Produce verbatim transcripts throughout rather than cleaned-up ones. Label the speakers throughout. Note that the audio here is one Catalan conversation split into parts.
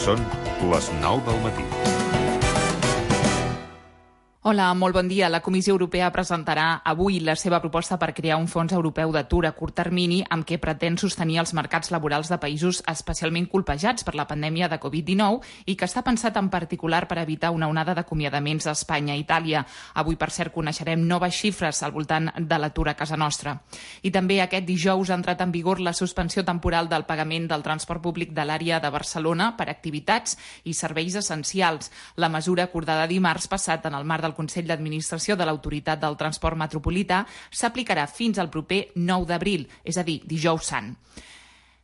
Speaker 1: Són les nou del matí.
Speaker 2: Hola, molt bon dia. La Comissió Europea presentarà avui la seva proposta per crear un fons europeu d'atur a curt termini amb què pretén sostenir els mercats laborals de països especialment colpejats per la pandèmia de covid dinou i que està pensat en particular per evitar una onada d'acomiadaments a Espanya i Itàlia. Avui, per cert, coneixerem noves xifres al voltant de l'atur a casa nostra. I també aquest dijous ha entrat en vigor la suspensió temporal del pagament del transport públic de l'àrea de Barcelona per activitats i serveis essencials. La mesura acordada dimarts passat en el marc del Consell d'Administració de l'Autoritat del Transport Metropolità s'aplicarà fins al proper nou d'abril, és a dir, dijous sant.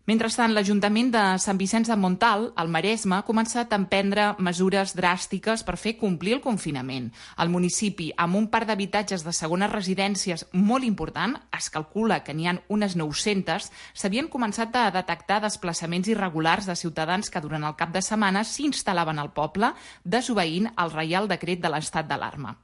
Speaker 2: Mentrestant, l'Ajuntament de Sant Vicenç de Montalt, al Maresme, ha començat a emprendre mesures dràstiques per fer complir el confinament. El municipi, amb un parc d'habitatges de segones residències molt important, es calcula que n'hi ha unes nou-centes, s'havien començat a detectar desplaçaments irregulars de ciutadans que durant el cap de setmana s'instal·laven al poble, desobeint el Reial Decret de l'estat d'alarma.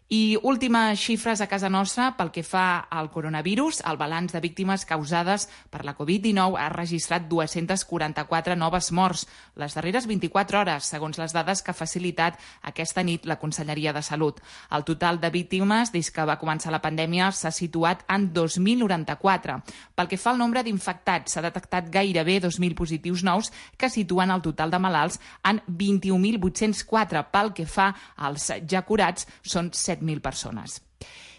Speaker 2: I últimes xifres a casa nostra pel que fa al coronavirus. El balanç de víctimes causades per la covid dinou ha registrat dues-centes quaranta-quatre noves morts les darreres vint-i-quatre hores, segons les dades que ha facilitat aquesta nit la Conselleria de Salut. El total de víctimes des que va començar la pandèmia s'ha situat en dos mil noranta-quatre. Pel que fa al nombre d'infectats, s'ha detectat gairebé dos mil positius nous que situen el total de malalts en vint-i-un mil vuit-cents quatre. Pel que fa als ja curats, són set mil persones.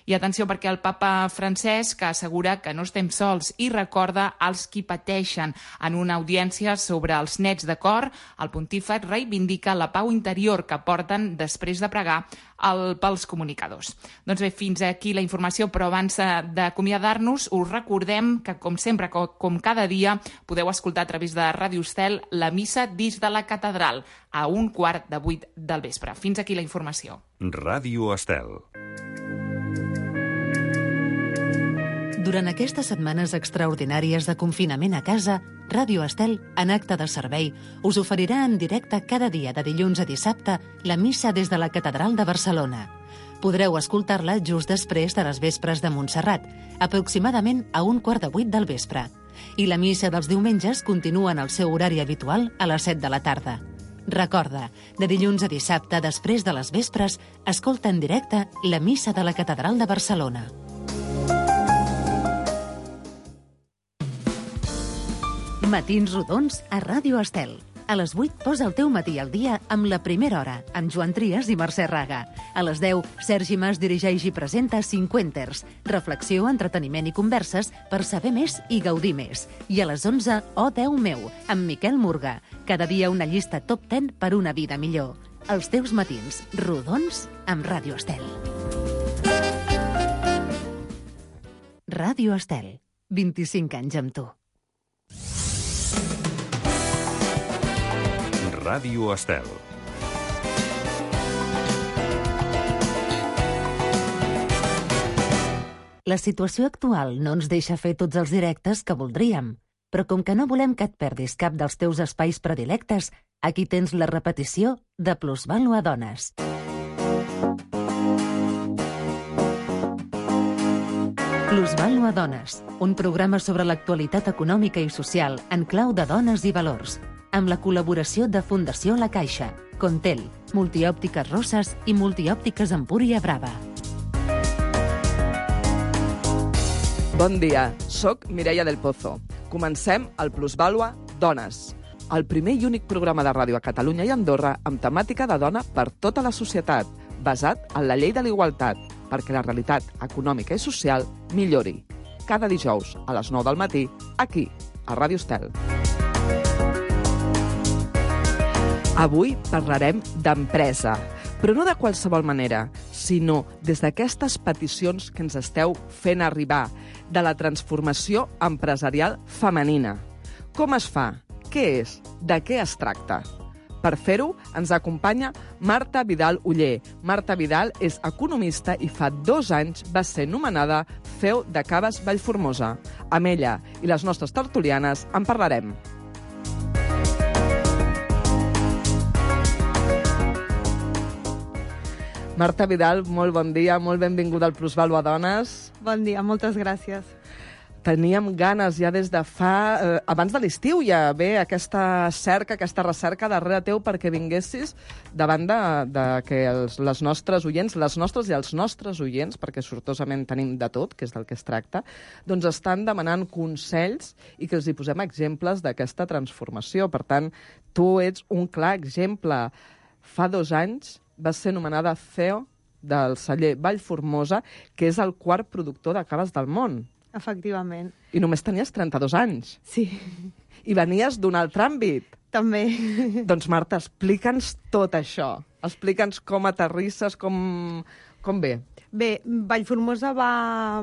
Speaker 2: I atenció perquè el papa Francesc assegura que no estem sols i recorda als qui pateixen. En una audiència sobre els nets de cor, el pontífex reivindica la pau interior que porten després de pregar el, pels comunicadors. Doncs bé, fins aquí la informació, però abans d'acomiadar-nos us recordem que, com sempre, com cada dia, podeu escoltar a través de Ràdio Estel la missa dins de la catedral a un quart de vuit del vespre. Fins aquí la informació.
Speaker 1: Ràdio Estel.
Speaker 3: Durant aquestes setmanes extraordinàries de confinament a casa, Ràdio Estel, en acte de servei, us oferirà en directe cada dia de dilluns a dissabte la missa des de la Catedral de Barcelona. Podreu escoltar-la just després de les vespres de Montserrat, aproximadament a un quart de vuit del vespre. I la missa dels diumenges continua en el seu horari habitual a les set de la tarda. Recorda, de dilluns a dissabte, després de les vespres, escolta en directe la missa de la Catedral de Barcelona. Matins rodons a Ràdio Estel. A les vuit posa el teu matí al dia amb La Primera Hora, amb Joan Trias i Mercè Raga. A les deu, Sergi Mas dirigeix i presenta Cinquenters, reflexió, entreteniment i converses per saber més i gaudir més. I a les onze, Oh Déu meu, amb Miquel Murga. Cada dia una llista top deu per una vida millor. Els teus matins rodons amb Ràdio Estel. Ràdio Estel, vint-i-cinc anys amb tu.
Speaker 1: Ràdio Estel.
Speaker 3: La situació actual no ens deixa fer tots els directes que voldríem, però com que no volem que et perdis cap dels teus espais predilectes, aquí tens la repetició de Plusvàlua Dones. Plusvàlua Dones, un programa sobre l'actualitat econòmica i social en clau de dones i valors, amb la col·laboració de Fundació La Caixa, Contel, Multiòptiques Rosses i Multiòptiques Empúria Brava.
Speaker 4: Bon dia, soc Mireia del Pozo. Comencem el Plusvàlua Dones, el primer i únic programa de ràdio a Catalunya i Andorra amb temàtica de dona per tota la societat, basat en la llei de l'igualtat, perquè la realitat econòmica i social millori. Cada dijous a les nou del matí, aquí, a Ràdio Estel. Avui parlarem d'empresa, però no de qualsevol manera, sinó des d'aquestes peticions que ens esteu fent arribar, de la transformació empresarial femenina. Com es fa? Què és? De què es tracta? Per fer-ho, ens acompanya Marta Vidal Oller. Marta Vidal és economista i fa dos anys va ser nomenada C E O de Caves Vallformosa. Amb ella i les nostres tertulianes en parlarem. Marta Vidal, molt bon dia, molt benvinguda al Plusvàlua Dones.
Speaker 5: Bon dia, moltes gràcies.
Speaker 4: teníem ganes ja des de fa... Eh, abans de l'estiu ja ve aquesta cerca, aquesta recerca darrere teu perquè vinguessis davant de, de que els, les nostres oients, les nostres i els nostres oients, perquè sortosament tenim de tot, que és del que es tracta, doncs estan demanant consells i que els hi posem exemples d'aquesta transformació. Per tant, tu ets un clar exemple. Fa dos anys vas ser nomenada C E O del celler Vallformosa, que és el quart productor de caves del món.
Speaker 5: Efectivament.
Speaker 4: I només tenies trenta-dos anys.
Speaker 5: Sí.
Speaker 4: I venies d'un altre àmbit.
Speaker 5: També.
Speaker 4: Doncs, Marta, explica'ns tot això. Explica'ns com aterrisses, com, com ve.
Speaker 5: Bé, Vallformosa va,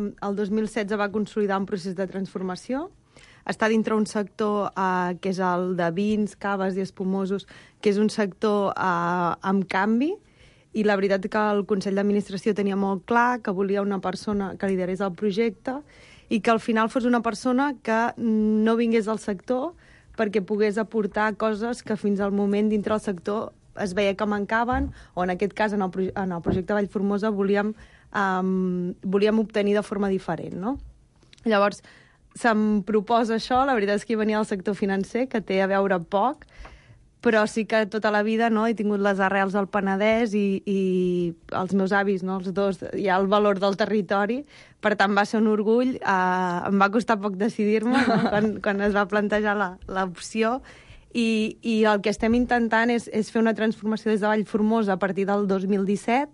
Speaker 5: el dos mil setze va consolidar un procés de transformació. Està dintre un sector eh, que és el de vins, caves i espumosos, que és un sector eh, amb canvi, i la veritat és que el Consell d'Administració tenia molt clar que volia una persona que liderés el projecte i que al final fos una persona que no vingués al sector perquè pogués aportar coses que fins al moment dintre del sector es veia que mancaven, o en aquest cas, en el, proje en el projecte Vallformosa, volíem, um, volíem obtenir de forma diferent, no? Llavors, se'm proposa això, la veritat és que hi venia del sector financer, que té a veure poc, però sí que tota la vida, no, he tingut les arrels al Penedès i, i els meus avis, no, els dos, hi ha el valor del territori, per tant va ser un orgull, eh, em va costar poc decidir-me, no, quan, quan es va plantejar l'opció, i, i el que estem intentant és, és fer una transformació des de Vallformosa a partir del dos mil disset,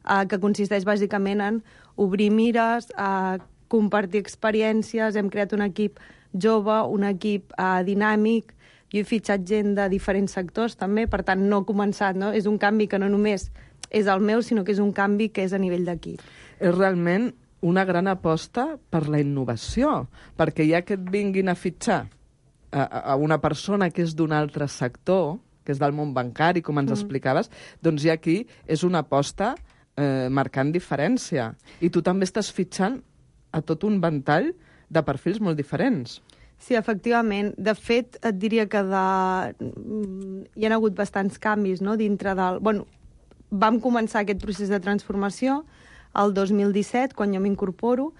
Speaker 5: eh, que consisteix bàsicament en obrir mires, eh, compartir experiències, hem creat un equip jove, un equip eh, dinàmic. Jo he fitxat gent de diferents sectors, també, per tant, no he començat, no? És un canvi que no només és el meu, sinó que és un canvi que és a nivell d'equip.
Speaker 4: És realment una gran aposta per la innovació, perquè ja que et vinguin a fitxar a, a una persona que és d'un altre sector, que és del món bancari, com ens mm. explicaves, doncs ja aquí és una aposta eh, marcant diferència. I tu també estàs fitxant a tot un ventall de perfils molt diferents.
Speaker 5: Sí, efectivament. De fet, et diria que de... hi ha hagut bastants canvis, no?, dintre del... Bueno, vam començar aquest procés de transformació el dos mil disset, quan jo m'incorporo,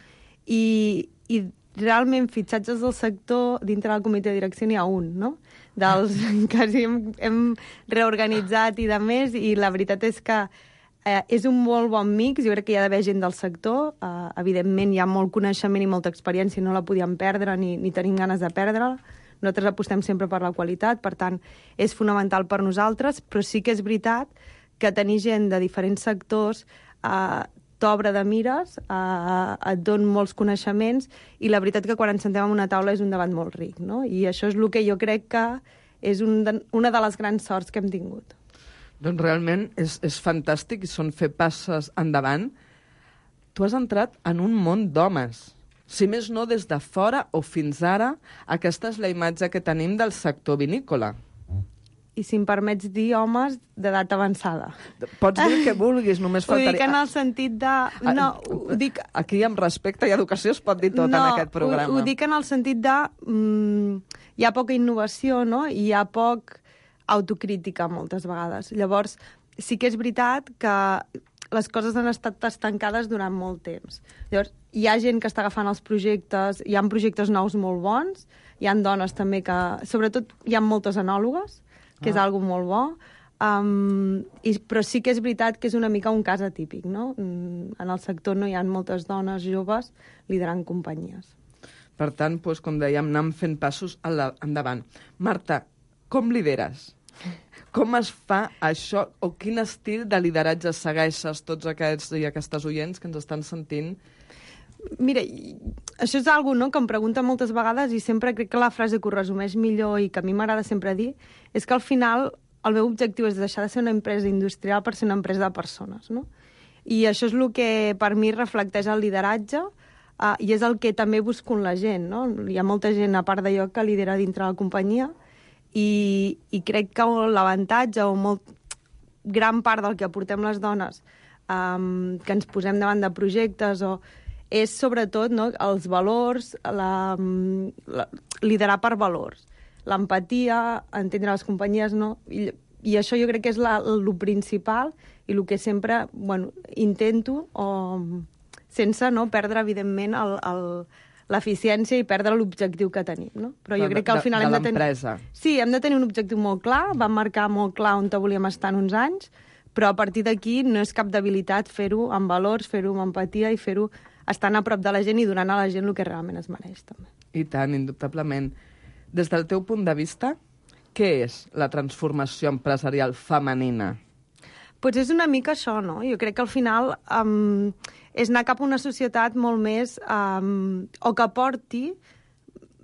Speaker 5: i, i realment fitxatges del sector dintre del comitè de direcció n'hi ha un, no? Dels quasi hem, hem reorganitzat i de més, i la veritat és que Eh, és un molt bon mix, jo crec que hi ha d'haver gent del sector, eh, evidentment hi ha molt coneixement i molta experiència, no la podíem perdre ni, ni tenim ganes de perdre-la. Nosaltres apostem sempre per la qualitat, per tant, és fonamental per nosaltres, però sí que és veritat que tenir gent de diferents sectors eh, t'obre de mires, eh, et don molts coneixements, i la veritat que quan ens sentem en una taula és un debat molt ric, no? I això és el que jo crec que és un de, una de les grans sorts que hem tingut.
Speaker 4: Doncs realment és, és fantàstic i són fer passes endavant. Tu has entrat en un món d'homes. Si més no, des de fora o fins ara, aquesta és la imatge que tenim del sector vinícola.
Speaker 5: I si em permets dir, homes d'edat avançada.
Speaker 4: Pots dir el que vulguis, només faltaria...
Speaker 5: Ho dic en el sentit de... No, ho dic...
Speaker 4: Aquí, amb respecte i educació, es pot dir tot
Speaker 5: no,
Speaker 4: en aquest programa.
Speaker 5: Ho, ho dic en el sentit de... Mm, hi ha poca innovació, no? I hi ha poc autocrítica moltes vegades. Llavors, sí que és veritat que les coses han estat estancades durant molt temps. Llavors, hi ha gent que està agafant els projectes, hi ha projectes nous molt bons, hi ha dones també que... Sobretot hi ha moltes enòlogues, que ah. és algo molt bo, um, i, però sí que és veritat que és una mica un cas atípic, no? En el sector no hi ha moltes dones joves liderant companyies.
Speaker 4: Per tant, doncs, com dèiem, anem fent passos endavant. Marta, com lideres? Com es fa això, o quin estil de lideratge segueixes tots aquests i aquestes oients que ens estan sentint?
Speaker 5: Mira, això és algo, no?, que em pregunten moltes vegades, i sempre crec que la frase que ho resumeix millor i que a mi m'agrada sempre dir és que al final el meu objectiu és deixar de ser una empresa industrial per ser una empresa de persones, no? I això és el que per mi reflecteix el lideratge, uh, i és el que també busco en la gent, no? Hi ha molta gent, a part d'allò, que lidera dintre la companyia, I, i crec que l'avantatge o molt gran part del que aportem les dones um, que ens posem davant de projectes o, és sobretot, no, els valors, la, la, liderar per valors, l'empatia, entendre les companyies, no? I, i això jo crec que és la, el principal i el que sempre, bueno, intento o, sense, no, perdre evidentment el, el, l'eficiència i perdre l'objectiu que tenim, no? Però jo
Speaker 4: De-
Speaker 5: crec que al
Speaker 4: de-
Speaker 5: final
Speaker 4: de
Speaker 5: hem de tenir...
Speaker 4: l'empresa.
Speaker 5: Sí, hem de tenir un objectiu molt clar, vam marcar molt clar on volíem estar en uns anys, però a partir d'aquí no és cap debilitat fer-ho amb valors, fer-ho amb empatia i fer-ho estant a prop de la gent i donant a la gent el que realment es mereix, també.
Speaker 4: I tant, indubtablement. Des del teu punt de vista, què és la transformació empresarial femenina?
Speaker 5: Pues és una mica això, no? Jo crec que al final um, és anar cap a una societat molt més... Um, o que aporti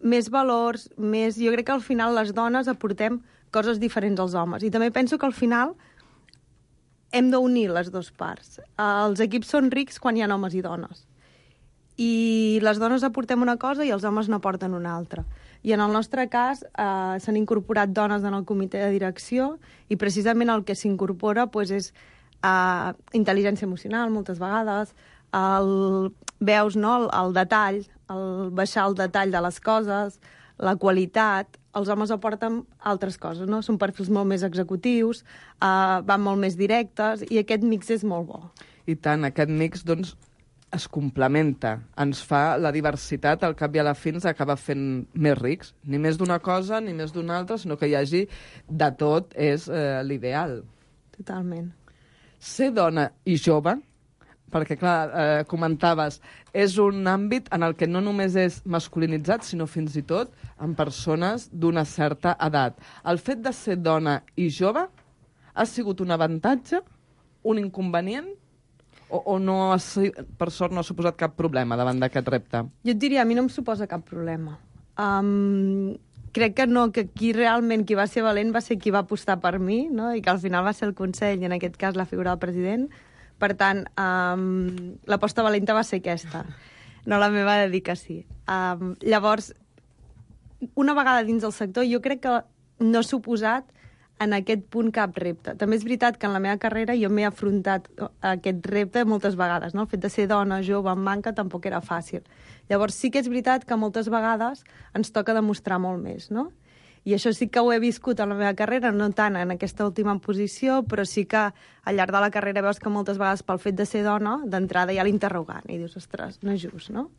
Speaker 5: més valors, més... Jo crec que al final les dones aportem coses diferents als homes. I també penso que al final hem d'unir les dues parts. Uh, els equips són rics quan hi ha homes i dones. I les dones aportem una cosa i els homes n'aporten una altra. I en el nostre cas eh, s'han incorporat dones en el comitè de direcció i precisament el que s'incorpora pues, és eh, intel·ligència emocional moltes vegades, el, veus no, el, el detall, el baixar el detall de les coses, la qualitat. Els homes aporten altres coses, no? Són perfils molt més executius, eh, van molt més directes i aquest mix és molt bo.
Speaker 4: I tant, aquest mix, doncs, es complementa, ens fa la diversitat, al cap i a la fi ens acaba fent més rics. Ni més d'una cosa, ni més d'una altra, sinó que hi hagi de tot, és eh, l'ideal.
Speaker 5: Totalment.
Speaker 4: Ser dona i jove, perquè, clar, eh, comentaves, és un àmbit en el que no només és masculinitzat, sinó fins i tot en persones d'una certa edat. El fet de ser dona i jove ha sigut un avantatge, un inconvenient, O, o no ha, per sort no ha suposat cap problema davant d'aquest repte?
Speaker 5: Jo et diria, a mi no em suposa cap problema. Um, crec que no, que qui realment qui va ser valent va ser qui va apostar per mi, no? I que al final va ser el Consell, i en aquest cas la figura del president. Per tant, um, l'aposta valenta va ser aquesta, no la meva dedicació. Um, llavors, una vegada dins del sector, jo crec que no ha suposat en aquest punt cap repte. També és veritat que en la meva carrera jo m'he afrontat aquest repte moltes vegades, no? El fet de ser dona, jove, en banca, tampoc era fàcil. Llavors sí que és veritat que moltes vegades ens toca demostrar molt més, no? I això sí que ho he viscut en la meva carrera, no tant en aquesta última posició, però sí que al llarg de la carrera veus que moltes vegades pel fet de ser dona, d'entrada hi ha l'interrogant, i dius, ostres, no és just, no?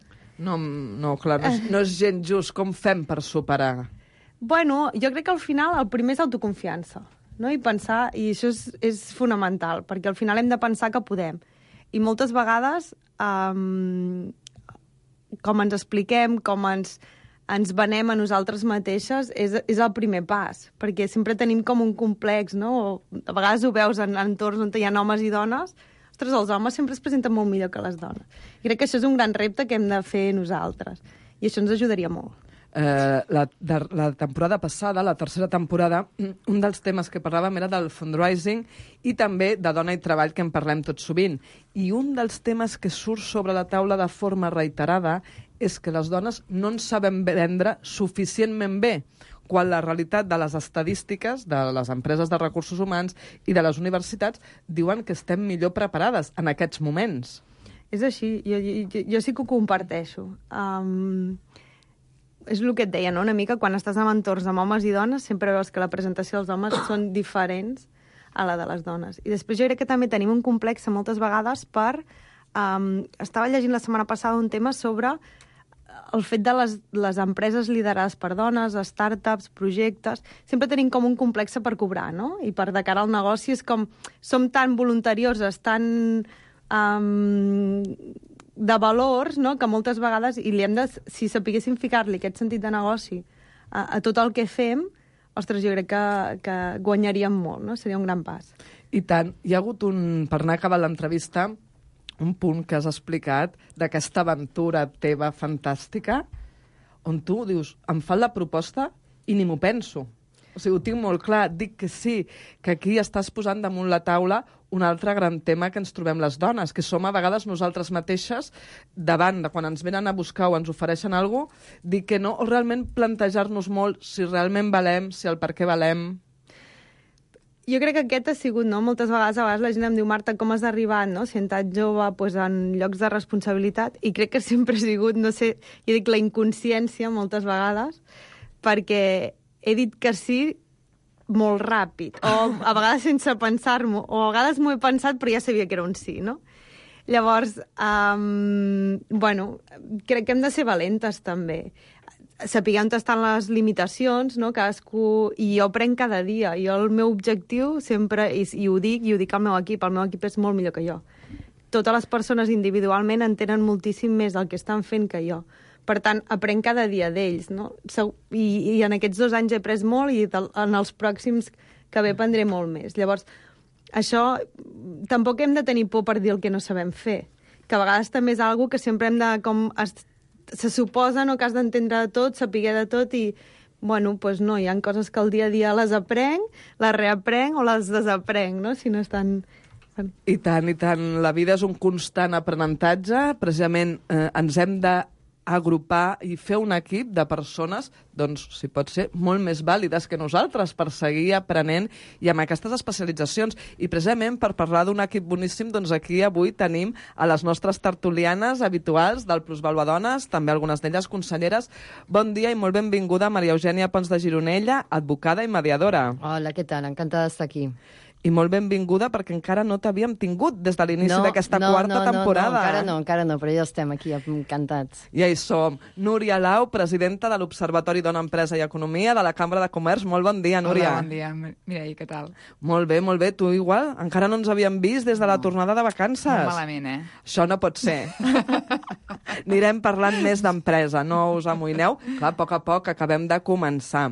Speaker 4: No, no clar, no és, no és gens just. Com fem per superar?
Speaker 5: Bueno, jo crec que al final el primer és autoconfiança, no? I pensar, i això és, és fonamental, perquè al final hem de pensar que podem. I moltes vegades, um, com ens expliquem, com ens, ens venem a nosaltres mateixes, és, és el primer pas, perquè sempre tenim com un complex, no? O a vegades ho veus en entorns on hi ha homes i dones, ostres, els homes sempre es presenten molt millor que les dones. I crec que això és un gran repte que hem de fer nosaltres, i això ens ajudaria molt.
Speaker 4: Eh, la, de, la temporada passada, la tercera temporada, un dels temes que parlàvem era del fundraising i també de dona i treball, que en parlem tot sovint. I un dels temes que surt sobre la taula de forma reiterada és que les dones no ens sabem vendre suficientment bé, quan la realitat de les estadístiques de les empreses de recursos humans i de les universitats diuen que estem millor preparades en aquests moments.
Speaker 5: És així, jo, jo, jo sí que ho comparteixo. Um... És el que et deia, no? Una mica quan estàs en entorns amb homes i dones sempre veus que la presentació dels homes són diferents a la de les dones. I després jo crec que també tenim un complex moltes vegades per... Um, estava llegint la setmana passada un tema sobre el fet de les, les empreses liderades per dones, startups, projectes... Sempre tenim com un complex per cobrar, no? I per de cara al negoci és com... Som tan voluntarioses, tan... Um, de valors, no?, que moltes vegades, i li hem de, si sapiguéssim ficar-li aquest sentit de negoci a, a tot el que fem, ostres, jo crec que, que guanyaríem molt, no? Seria un gran pas.
Speaker 4: I tant. Hi ha hagut un, per anar acabant l'entrevista, un punt que has explicat d'aquesta aventura teva fantàstica, on tu dius, em fan la proposta i ni m'ho penso. O sigui, ho tinc molt clar, dic que sí, que aquí estàs posant damunt la taula un altre gran tema que ens trobem les dones, que som a vegades nosaltres mateixes davant de quan ens venen a buscar o ens ofereixen alguna cosa, dir que no, o realment plantejar-nos molt si realment valem, si el per què valem.
Speaker 5: Jo crec que aquest ha sigut, no? Moltes vegades, a vegades la gent em diu, Marta, com has arribat, no? Si en tan jove, pues, en llocs de responsabilitat, i crec que sempre ha sigut, no sé, jo dic la inconsciència moltes vegades, perquè he dit que sí molt ràpid, o a vegades sense pensar-m'ho, o a vegades m'ho he pensat però ja sabia que era un sí, no? Llavors, um, bueno, crec que hem de ser valentes, també. Sapiguem on estan les limitacions, no? Cadascú... I jo prenc cada dia. Jo el meu objectiu sempre, i, i ho dic, i ho dic al meu equip, el meu equip és molt millor que jo. Totes les persones individualment entenen moltíssim més el que estan fent que jo. Per tant, aprenc cada dia d'ells, no? I, I en aquests dos anys he après molt i en els pròxims que ve prendré molt més. Llavors, això tampoc hem de tenir por per dir el que no sabem fer, que a vegades també és algo que sempre hem de... com se suposa, no?, que has d'entendre de tot, saber de tot i, bueno, doncs pues no, hi ha coses que el dia a dia les aprenc, les reaprenc o les desaprenc, no?, si no estan...
Speaker 4: I tant, i tant. La vida és un constant aprenentatge. Precisament eh, ens hem de agrupar i fer un equip de persones, doncs, si pot ser, molt més vàlides que nosaltres per seguir aprenent i amb aquestes especialitzacions. I precisament per parlar d'un equip boníssim, doncs aquí avui tenim a les nostres tertulianes habituals del Plusvaluadones, també algunes d'elles conselleres. Bon dia i molt benvinguda Maria Eugènia Pons de Gironella, advocada i mediadora.
Speaker 6: Hola, què tal? Encantada d'estar aquí.
Speaker 4: I molt benvinguda perquè encara no t'havíem tingut des de l'inici
Speaker 6: no,
Speaker 4: d'aquesta
Speaker 6: no,
Speaker 4: quarta
Speaker 6: no,
Speaker 4: temporada.
Speaker 6: No, no, encara no, encara no, però ja estem aquí, encantats.
Speaker 4: Ja hi som. Núria Lau, presidenta de l'Observatori Dona, Empresa i Economia de la Cambra de Comerç. Molt bon dia, Núria.
Speaker 7: Hola, bon dia. Mireia, què tal?
Speaker 4: Molt bé, molt bé. Tu igual? Encara no ens havíem vist des de la tornada de vacances.
Speaker 7: Molt malament, eh?
Speaker 4: Això no pot ser. Anirem parlant més d'empresa, no us amoïneu. Clar, a poc a poc acabem de començar.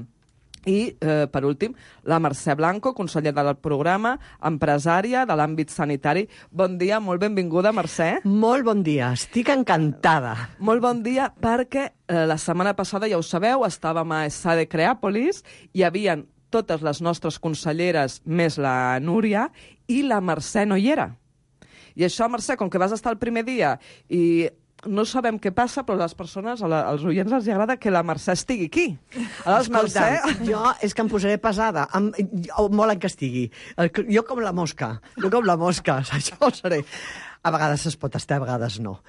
Speaker 4: I, eh, per últim, la Mercè Blanco, consellera del programa, empresària de l'àmbit sanitari. Bon dia, molt benvinguda, Mercè.
Speaker 8: Molt bon dia, estic encantada.
Speaker 4: Molt bon dia, perquè eh, la setmana passada, ja ho sabeu, estàvem a Sade Creàpolis, hi havia totes les nostres conselleres, més la Núria, i la Mercè no hi era. I això, Mercè, com que vas estar el primer dia i... no sabem què passa, però les persones, als oients els agrada que la Mercè estigui aquí. Aleshores,
Speaker 8: Mercè... Jo és que em posaré pesada. Em, volen que estigui. Jo com la mosca. Jo com la mosca. Això seré. A vegades es pot estar, a vegades no.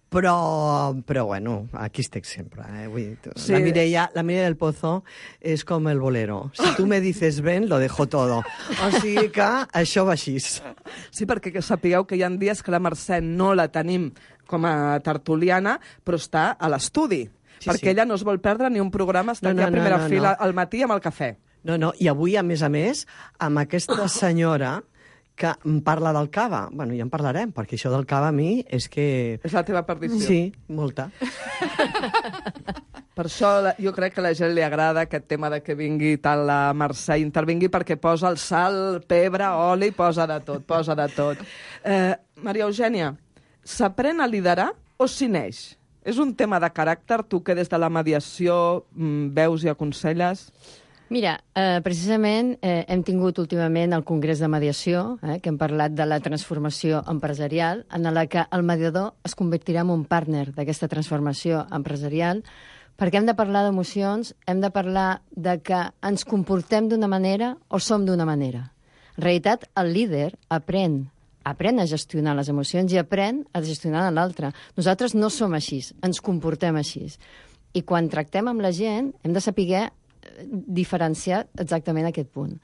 Speaker 8: Però, però bueno, aquí estic sempre. Eh? Vull dir, sí. La Mireia, la Mireia del Pozo és com el bolero. Si tu me dices ven, lo dejo todo. O sigui que això va així.
Speaker 4: Sí, perquè que sapigueu que hi ha dies que la Mercè no la tenim com a tertuliana, però està a l'estudi. Sí, perquè sí. Ella no es vol perdre ni un programa, està no, aquí no, a primera no, no, fila no. al matí amb el cafè.
Speaker 8: No, no, i avui, a més a més, amb aquesta senyora que em parla del cava. Bueno, ja en parlarem, perquè això del cava a mi és que...
Speaker 4: És la teva perdició.
Speaker 8: Sí, molta.
Speaker 4: Per això jo crec que a la gent li agrada aquest tema de que vingui tant la Mercè, intervingui perquè posa el sal, pebre, oli, posa de tot, posa de tot. Eh, Maria Eugènia, s'aprèn a liderar o s'hi neix? És un tema de caràcter, tu que des de la mediació mm, veus i aconselles?
Speaker 6: Mira, eh, precisament eh, hem tingut últimament el Congrés de Mediació, eh, que hem parlat de la transformació empresarial, en la que el mediador es convertirà en un partner d'aquesta transformació empresarial, perquè hem de parlar d'emocions, hem de parlar de que ens comportem d'una manera o som d'una manera. En realitat, el líder aprèn aprèn a gestionar les emocions i aprèn a gestionar l'altre. Nosaltres no som així, ens comportem així. I quan tractem amb la gent hem de saber diferenciar exactament aquest punt.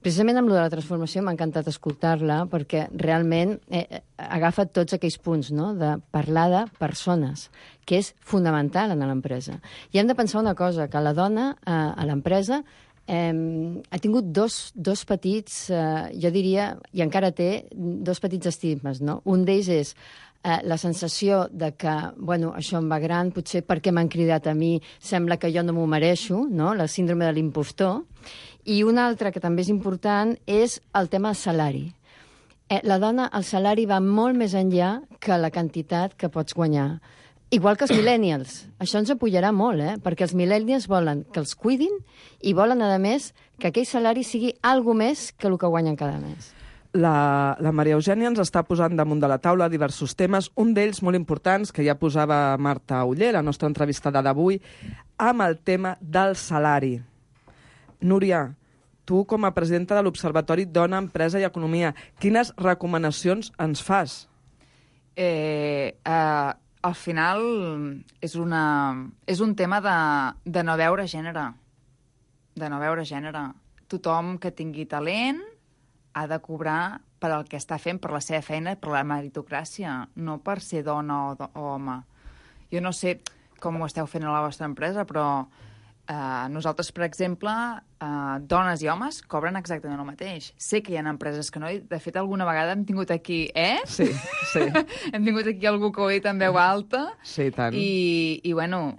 Speaker 6: Precisament amb lo de la transformació m'ha encantat escoltar-la perquè realment eh, agafa tots aquells punts, no?, de parlar de persones, que és fonamental en l'empresa. I hem de pensar una cosa, que la dona eh, a l'empresa Eh, ha tingut dos, dos petits, eh, jo diria, i encara té dos petits estigmes, no? Un d'ells és eh, la sensació de que, bueno, això em va gran, potser perquè m'han cridat a mi, sembla que jo no m'ho mereixo, no? La síndrome de l'impostor. I un altre que també és important és el tema del salari. Eh, la dona, el salari va molt més enllà que la quantitat que pots guanyar. Igual que els millennials. Això ens apoyarà molt, eh? Perquè els millennials volen que els cuidin i volen, a més, que aquell salari sigui algo més que el que guanyen cada mes.
Speaker 4: La, la Maria Eugènia ens està posant damunt de la taula diversos temes, un d'ells molt importants, que ja posava Marta Oller, la nostra entrevistada d'avui, amb el tema del salari. Núria, tu com a presidenta de l'Observatori Dona, Empresa i Economia, quines recomanacions ens fas?
Speaker 7: Eh... eh... Al final és, una, és un tema de, de no veure gènere. De no veure gènere. Tothom que tingui talent ha de cobrar per al que està fent, per la seva feina, per la meritocràcia, no per ser dona o, do o home. Jo no sé com ho esteu fent a la vostra empresa, però eh, nosaltres, per exemple, eh, dones i homes cobren exactament el mateix. Sé que hi ha empreses que no, i de fet alguna vegada hem tingut aquí, eh?
Speaker 4: Sí, sí.
Speaker 7: hem tingut aquí algú que ho ha dit en veu alta.
Speaker 4: Sí, tant.
Speaker 7: I, i bueno,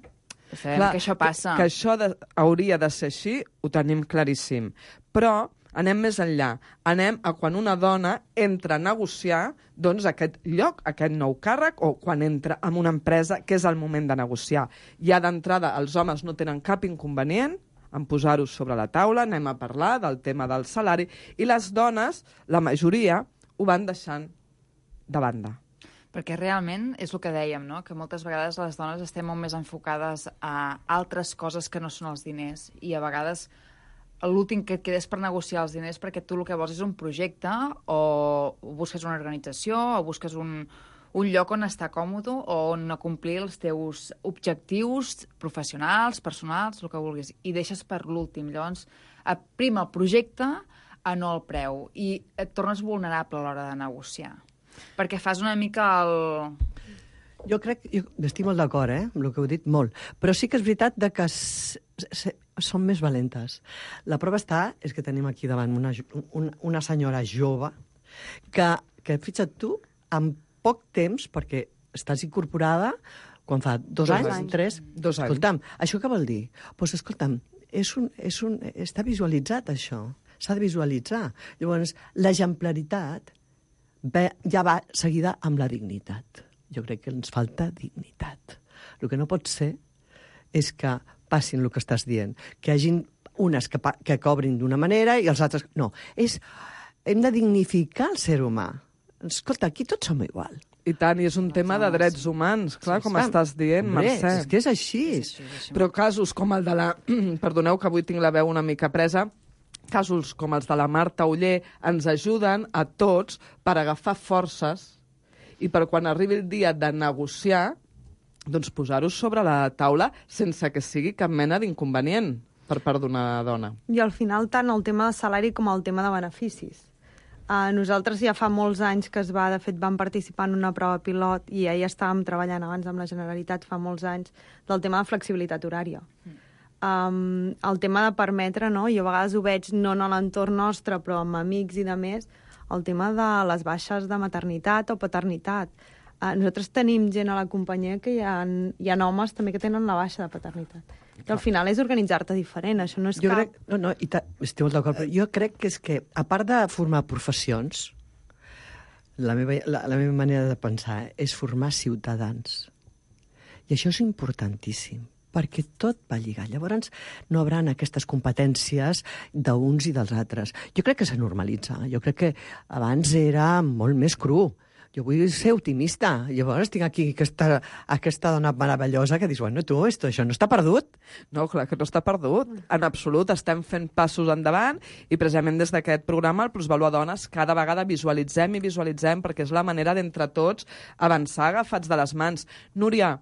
Speaker 7: sabem
Speaker 4: Clar,
Speaker 7: que això passa.
Speaker 4: Que, que això de, hauria de ser així, ho tenim claríssim. Però anem més enllà. Anem a quan una dona entra a negociar doncs, aquest lloc, aquest nou càrrec, o quan entra en una empresa, que és el moment de negociar. Ja d'entrada, els homes no tenen cap inconvenient en posar-ho sobre la taula, anem a parlar del tema del salari, i les dones, la majoria, ho van deixant de banda.
Speaker 7: Perquè realment és el que dèiem, no? Que moltes vegades les dones estem molt més enfocades a altres coses que no són els diners, i a vegades l'últim que et quedes per negociar els diners perquè tu el que vols és un projecte o busques una organització o busques un, un lloc on estar còmode o on acomplir els teus objectius professionals, personals, el que vulguis, i deixes per l'últim. Llavors, prima el projecte a no el preu i et tornes vulnerable a l'hora de negociar. Perquè fas una mica el...
Speaker 8: Jo crec, jo estic molt d'acord, eh, amb el que heu dit, molt. Però sí que és veritat de que s, s, són més valentes. La prova està, és que tenim aquí davant una, una, una senyora jove que, que fixa't tu, en poc temps, perquè estàs incorporada, quan fa dos, dos anys, anys, tres...
Speaker 4: Dos anys.
Speaker 8: Escolta'm, això què vol dir? Doncs pues, escolta'm, és un, és un, està visualitzat, això. S'ha de visualitzar. Llavors, l'exemplaritat ja va seguida amb la dignitat. Jo crec que ens falta dignitat. El que no pot ser és que passin el que estàs dient, que hi hagin unes que, que cobrin d'una manera i els altres... No, és... hem de dignificar el ser humà. Escolta, aquí tots som igual.
Speaker 4: I tant, i és un tema de drets humans, clar, com estàs dient, Mercè.
Speaker 8: És que és així.
Speaker 7: És així, és així.
Speaker 4: Però casos com el de la... Perdoneu que avui tinc la veu una mica presa. Casos com els de la Marta Oller ens ajuden a tots per agafar forces i per quan arribi el dia de negociar, doncs posar-ho sobre la taula sense que sigui cap mena d'inconvenient per part d'una dona.
Speaker 5: I al final tant el tema de salari com el tema de beneficis. Uh, nosaltres ja fa molts anys que es va, de fet vam participar en una prova pilot i ja hi estàvem treballant abans amb la Generalitat fa molts anys del tema de flexibilitat horària. Um, el tema de permetre, no? Jo a vegades ho veig no en l'entorn nostre però amb amics i de més, el tema de les baixes de maternitat o paternitat. Uh, nosaltres tenim gent a la companyia que hi ha, hi ha homes també que tenen la baixa de paternitat. Que al final és organitzar-te diferent, això no és
Speaker 8: jo
Speaker 5: cap...
Speaker 8: Crec, no, no, i ta, estic molt d'acord, però jo crec que és que, a part de formar professions, la meva, la, la meva manera de pensar és formar ciutadans. I això és importantíssim, perquè tot va lligar. Llavors no haurà aquestes competències d'uns i dels altres. Jo crec que s'ha normalitzat. Jo crec que abans era molt més cru. Jo vull ser optimista. Llavors tinc aquí aquesta, aquesta dona meravellosa que dius, bueno, tu, esto, això no està perdut?
Speaker 4: No, clar que no està perdut. En absolut, estem fent passos endavant i precisament des d'aquest programa, el Plusvalua Dones, cada vegada visualitzem i visualitzem perquè és la manera d'entre tots avançar agafats de les mans. Núria,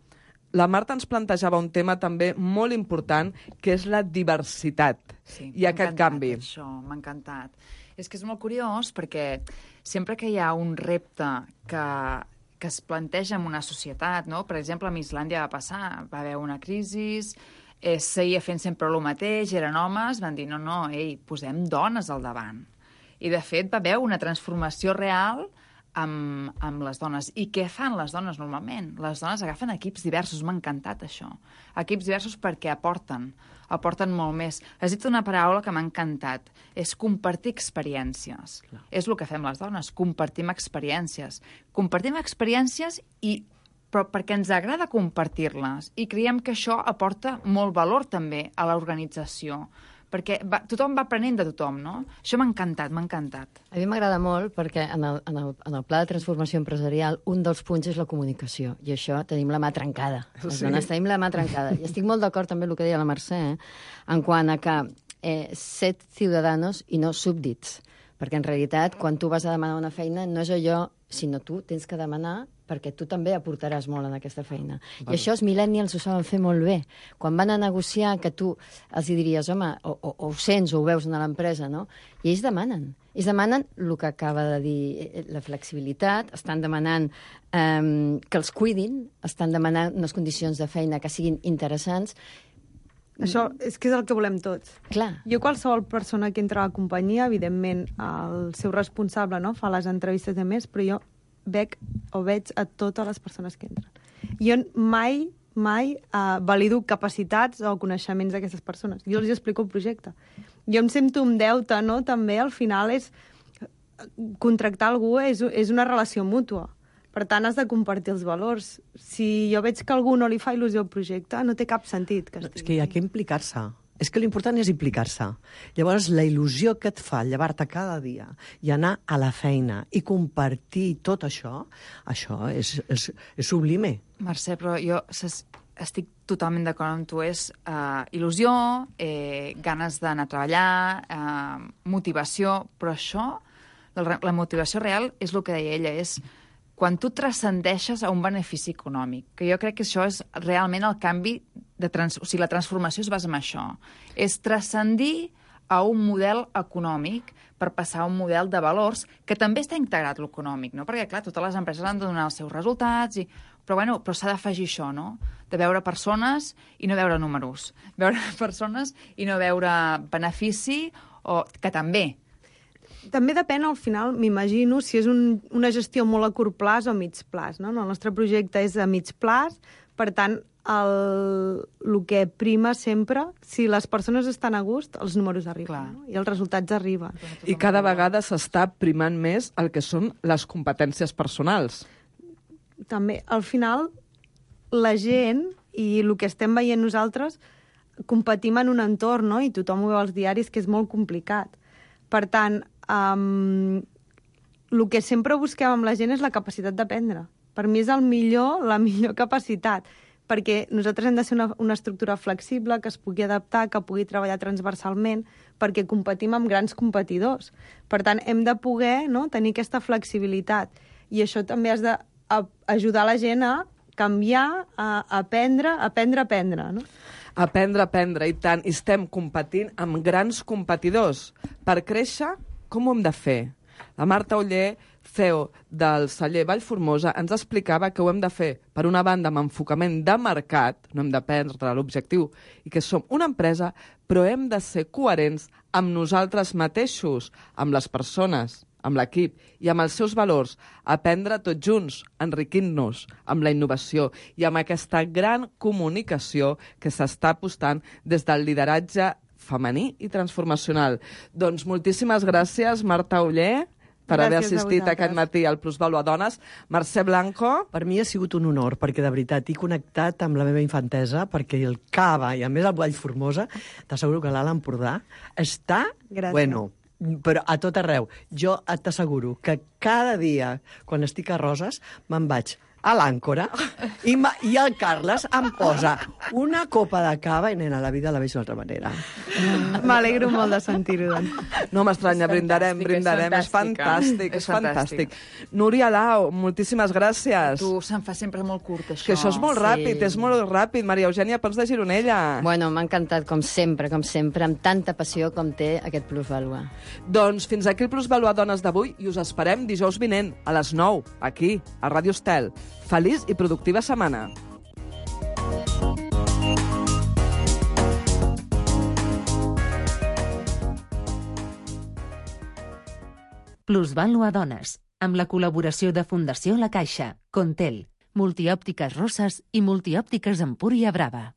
Speaker 4: la Marta ens plantejava un tema també molt important, que és la diversitat
Speaker 7: sí,
Speaker 4: i aquest canvi.
Speaker 7: Això, m'ha encantat. És que és molt curiós perquè sempre que hi ha un repte que, que es planteja en una societat, no? Per exemple, a Islàndia va passar, va haver una crisi, eh, seguia fent sempre el mateix, eren homes, van dir, no, no, ei, posem dones al davant. I, de fet, va haver una transformació real amb, amb les dones. I què fan les dones normalment? Les dones agafen equips diversos, m'ha encantat això. Equips diversos perquè aporten, aporten molt més. Has dit una paraula que m'ha encantat, és compartir experiències. Clar. És el que fem les dones, compartim experiències. Compartim experiències i però perquè ens agrada compartir-les i creiem que això aporta molt valor també a l'organització. Perquè va, tothom va aprenent de tothom, no? Això m'ha encantat, m'ha encantat.
Speaker 6: A mi m'agrada molt perquè en el, en, el, en el pla de transformació empresarial un dels punts és la comunicació, i això tenim la mà trencada. Les sí. dones tenim la mà trencada. I estic molt d'acord també amb el que deia la Mercè, eh? En quant a que eh, set ciutadans i no súbdits, perquè en realitat quan tu vas a demanar una feina no és allò, sinó tu tens que demanar perquè tu també aportaràs molt en aquesta feina. Val. I això els millennials ho saben fer molt bé. Quan van a negociar, que tu els hi diries, home, o, o, o ho sents o ho veus a l'empresa, no? I ells demanen. Ells demanen el que acaba de dir la flexibilitat, estan demanant eh, que els cuidin, estan demanant unes condicions de feina que siguin interessants.
Speaker 5: Això és que és el que volem tots.
Speaker 6: Clar.
Speaker 5: Jo, qualsevol persona que entra a la companyia, evidentment, el seu responsable, no?, fa les entrevistes de més, però jo veig o veig a totes les persones que entren. Jo mai, mai uh, valido capacitats o coneixements d'aquestes persones. Jo els explico el projecte. Jo em sento un deute, no?, també, al final, és contractar algú és, és una relació mútua. Per tant, has de compartir els valors. Si jo veig que algú no li fa il·lusió al projecte, no té cap sentit. Que
Speaker 8: no, és que hi ha que implicar-se. És que l'important és implicar-se. Llavors, la il·lusió que et fa llevar-te cada dia i anar a la feina i compartir tot això, això és, és, és sublime.
Speaker 7: Mercè, però jo estic totalment d'acord amb tu. És uh, il·lusió, eh, ganes d'anar a treballar, uh, motivació, però això, la, la motivació real, és el que deia ella, és quan tu transcendeixes a un benefici econòmic, que jo crec que això és realment el canvi, de trans... o sigui, la transformació es basa en això. És transcendir a un model econòmic per passar a un model de valors que també està integrat l'econòmic, no? Perquè, clar, totes les empreses han de donar els seus resultats, i... però, bueno, però s'ha d'afegir això, no? De veure persones i no veure números. Veure persones i no veure benefici, o que també...
Speaker 5: També depèn, al final, m'imagino, si és un, una gestió molt a curt plaç o a mig plaç, no? El nostre projecte és a mig plaç, per tant, el, el que prima sempre, si les persones estan a gust, els números arriben, no? I els resultats arriben.
Speaker 4: I cada vegada s'està primant més el que són les competències personals.
Speaker 5: També, al final, la gent, i el que estem veient nosaltres, competim en un entorn, no? I tothom ho veu als diaris, que és molt complicat. Per tant, um, el que sempre busquem amb la gent és la capacitat d'aprendre. Per mi és el millor, la millor capacitat, perquè nosaltres hem de ser una, una estructura flexible, que es pugui adaptar, que pugui treballar transversalment, perquè competim amb grans competidors. Per tant, hem de poder, no?, tenir aquesta flexibilitat. I això també has d'ajudar la gent a canviar, a aprendre, a aprendre, a aprendre, no?
Speaker 4: Aprendre, aprendre, i tant. I estem competint amb grans competidors. Per créixer, com ho hem de fer? La Marta Oller, C E O del celler Vallformosa, ens explicava que ho hem de fer, per una banda, amb enfocament de mercat, no hem de perdre l'objectiu, i que som una empresa, però hem de ser coherents amb nosaltres mateixos, amb les persones, amb l'equip i amb els seus valors, aprendre tots junts, enriquint-nos amb la innovació i amb aquesta gran comunicació que s'està apostant des del lideratge femení i transformacional. Doncs moltíssimes gràcies, Marta Oller, per gràcies haver assistit aquest matí al Plusvàlua Dones. Mercè Blanco.
Speaker 8: Per mi ha sigut un honor, perquè de veritat he connectat amb la meva infantesa, perquè el Cava i a més el Vallformosa, t'asseguro que l'Alt Empordà està...
Speaker 5: Gràcies.
Speaker 8: Bueno, però a tot arreu. Jo t'asseguro que cada dia, quan estic a Roses, me'n vaig a l'Àncora i, i el Carles em posa una copa de cava i, nena, la vida la veig d'una altra manera.
Speaker 5: M'alegro molt de sentir-ho, doncs.
Speaker 4: No m'estranya, brindarem, brindarem. És fantàstic, és fantàstic. Núria Lau, moltíssimes gràcies.
Speaker 7: Tu, se'n fa sempre molt curt, això.
Speaker 4: Que això és molt ràpid, és molt ràpid. Maria Eugènia Pons de Gironella.
Speaker 6: Bueno, m'ha encantat, com sempre, com sempre, amb tanta passió com té aquest Plusvàlua.
Speaker 4: Doncs fins aquí el Plusvàlua Dones d'avui i us esperem dijous vinent a les nou, aquí, a Ràdio Estel. Feliç i productiva setmana.
Speaker 3: Plusvàlua Dones, amb la col·laboració de Fundació La Caixa, Contel, Multiòptiques Roses i Multiòptiques Empúria Brava.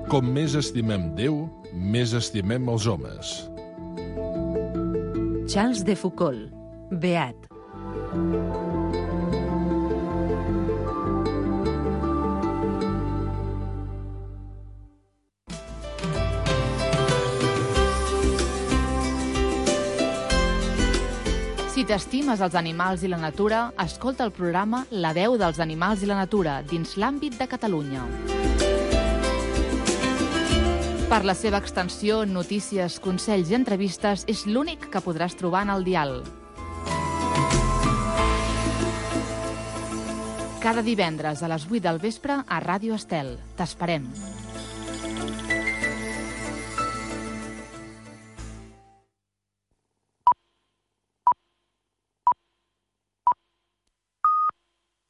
Speaker 9: Com més estimem Déu, més estimem els homes.
Speaker 3: Charles de Foucault, Beat.
Speaker 2: Si t'estimes els animals i la natura, escolta el programa La veu dels animals i la natura dins l'àmbit de Catalunya. Per la seva extensió, notícies, consells i entrevistes, és l'únic que podràs trobar en el dial. Cada divendres a les vuit del vespre a Ràdio Estel. T'esperem.